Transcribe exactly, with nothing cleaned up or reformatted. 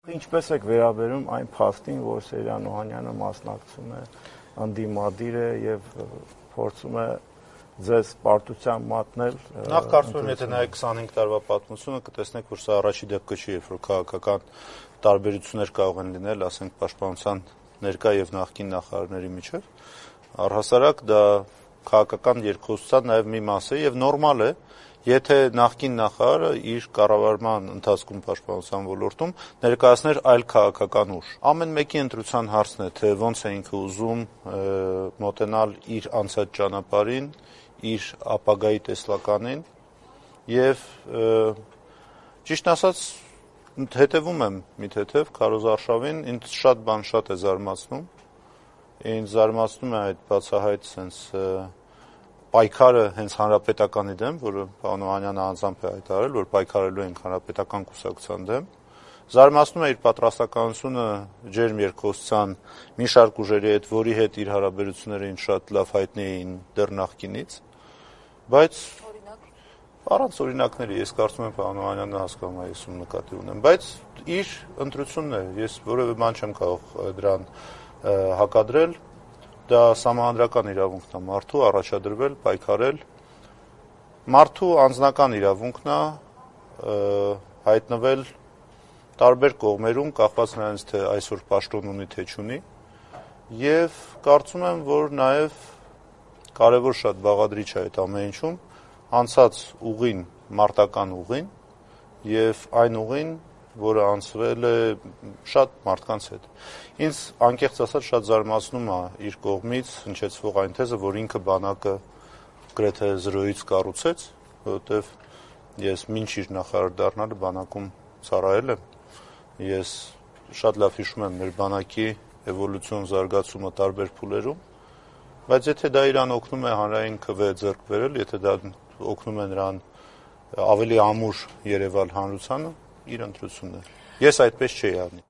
Ինչպես եք վերաբերում այն փաստին, որ Սերյան Օհանյանը մասնակցում է, ընդդիմադիր է եւ փորձում է ձեզ պարտության մատնել։ Նախ կարծում եմ, եթե նայեք քսանհինգ տարվա պատմությունը, կտեսնեք, որ սա առաջի դեպքը չի, երբ որ քաղաքական տարբերություններ կարող են լինել, ասենք, պաշտպանության ներկա եւ նախկին նախարարների միջեւ։ Առհասարակ դա քաղաքական երկխոսության նաեւ մի մաս է եւ նորմալ է, եթե նախկին նախարարը իր կառավարման ընթացքում պաշտպանության ոլորտում ներկայացներ այլ քաղաքական ուժ։ Ամեն մեկի ընտրության հարցն է, թե ոնց է ինքը ուզում մոտենալ իր անցած ճանապարհին, իր ապագայի տեսլականին եւ ճիշտ ասած հետևում եմ մի թեթև Քարոզ Արշավին, ինձ շատ բան շատ է զարմացնում, ինձ զարմացնում է այդ բացահայտ sense պայքարը հենց հանրապետականի դեմ, որը պարոն Օհանյանը անձամբ է հայտարարել, որ պայքարելու ենք հանրապետական կուսակցության դեմ, զարմացնում է իր պատրաստականությունը ջերմ երկխոսության մի շարք ուժերի հետ, որի հետ իր հարաբերությունները ինձ շատ լավ հայտնի էին դեռ նախկինից, բայց առանց օրինակների ես կարծում եմ պարոն Օհանյանը հասկանում է, ես ում նկատի ունեմ, բայց իր ընտրությունն է, ես որևէ բան չեմ կարող դրան հակադրել, դա սահմանադրական իրավունքն է մարդու առաջադրվել, պայքարել, մարդու անձնական իրավունքն է հայտնվել տարբեր կողմերում, կախված նրանից, թե այսօր պաշտոն ունի, թե չունի, եւ կարծում եմ, որ նաեւ կարեւոր շատ բաղադրիչ է այդ ամեն ինչում, անցած ուղին, մարտական ուղին եւ այն ուղին, որը անցվել է շատ մարդկանց հետ։ Ինձ անկեղծ ասած շատ զարմացնում է իր կողմից հնչեցվող այն թեզը, որ ինքը բանակը գրեթե զրոյից կառուցեց, որովհետեւ ես մինչ իր նախարար դառնալը բանակում ծառայել եմ։ Ես շատ լավ հիշում եմ մեր բանակի էվոլյուցիոն զարգացումը տարբեր փուլերում, բայց եթե դա իրան օգնում է հանրային քվե ձեռք բերել, եթե դա օգնում է նրան ավելի ամուր երևալ հանրությանը, իր ընտրությունն է։ Ես այդպես չէի անի։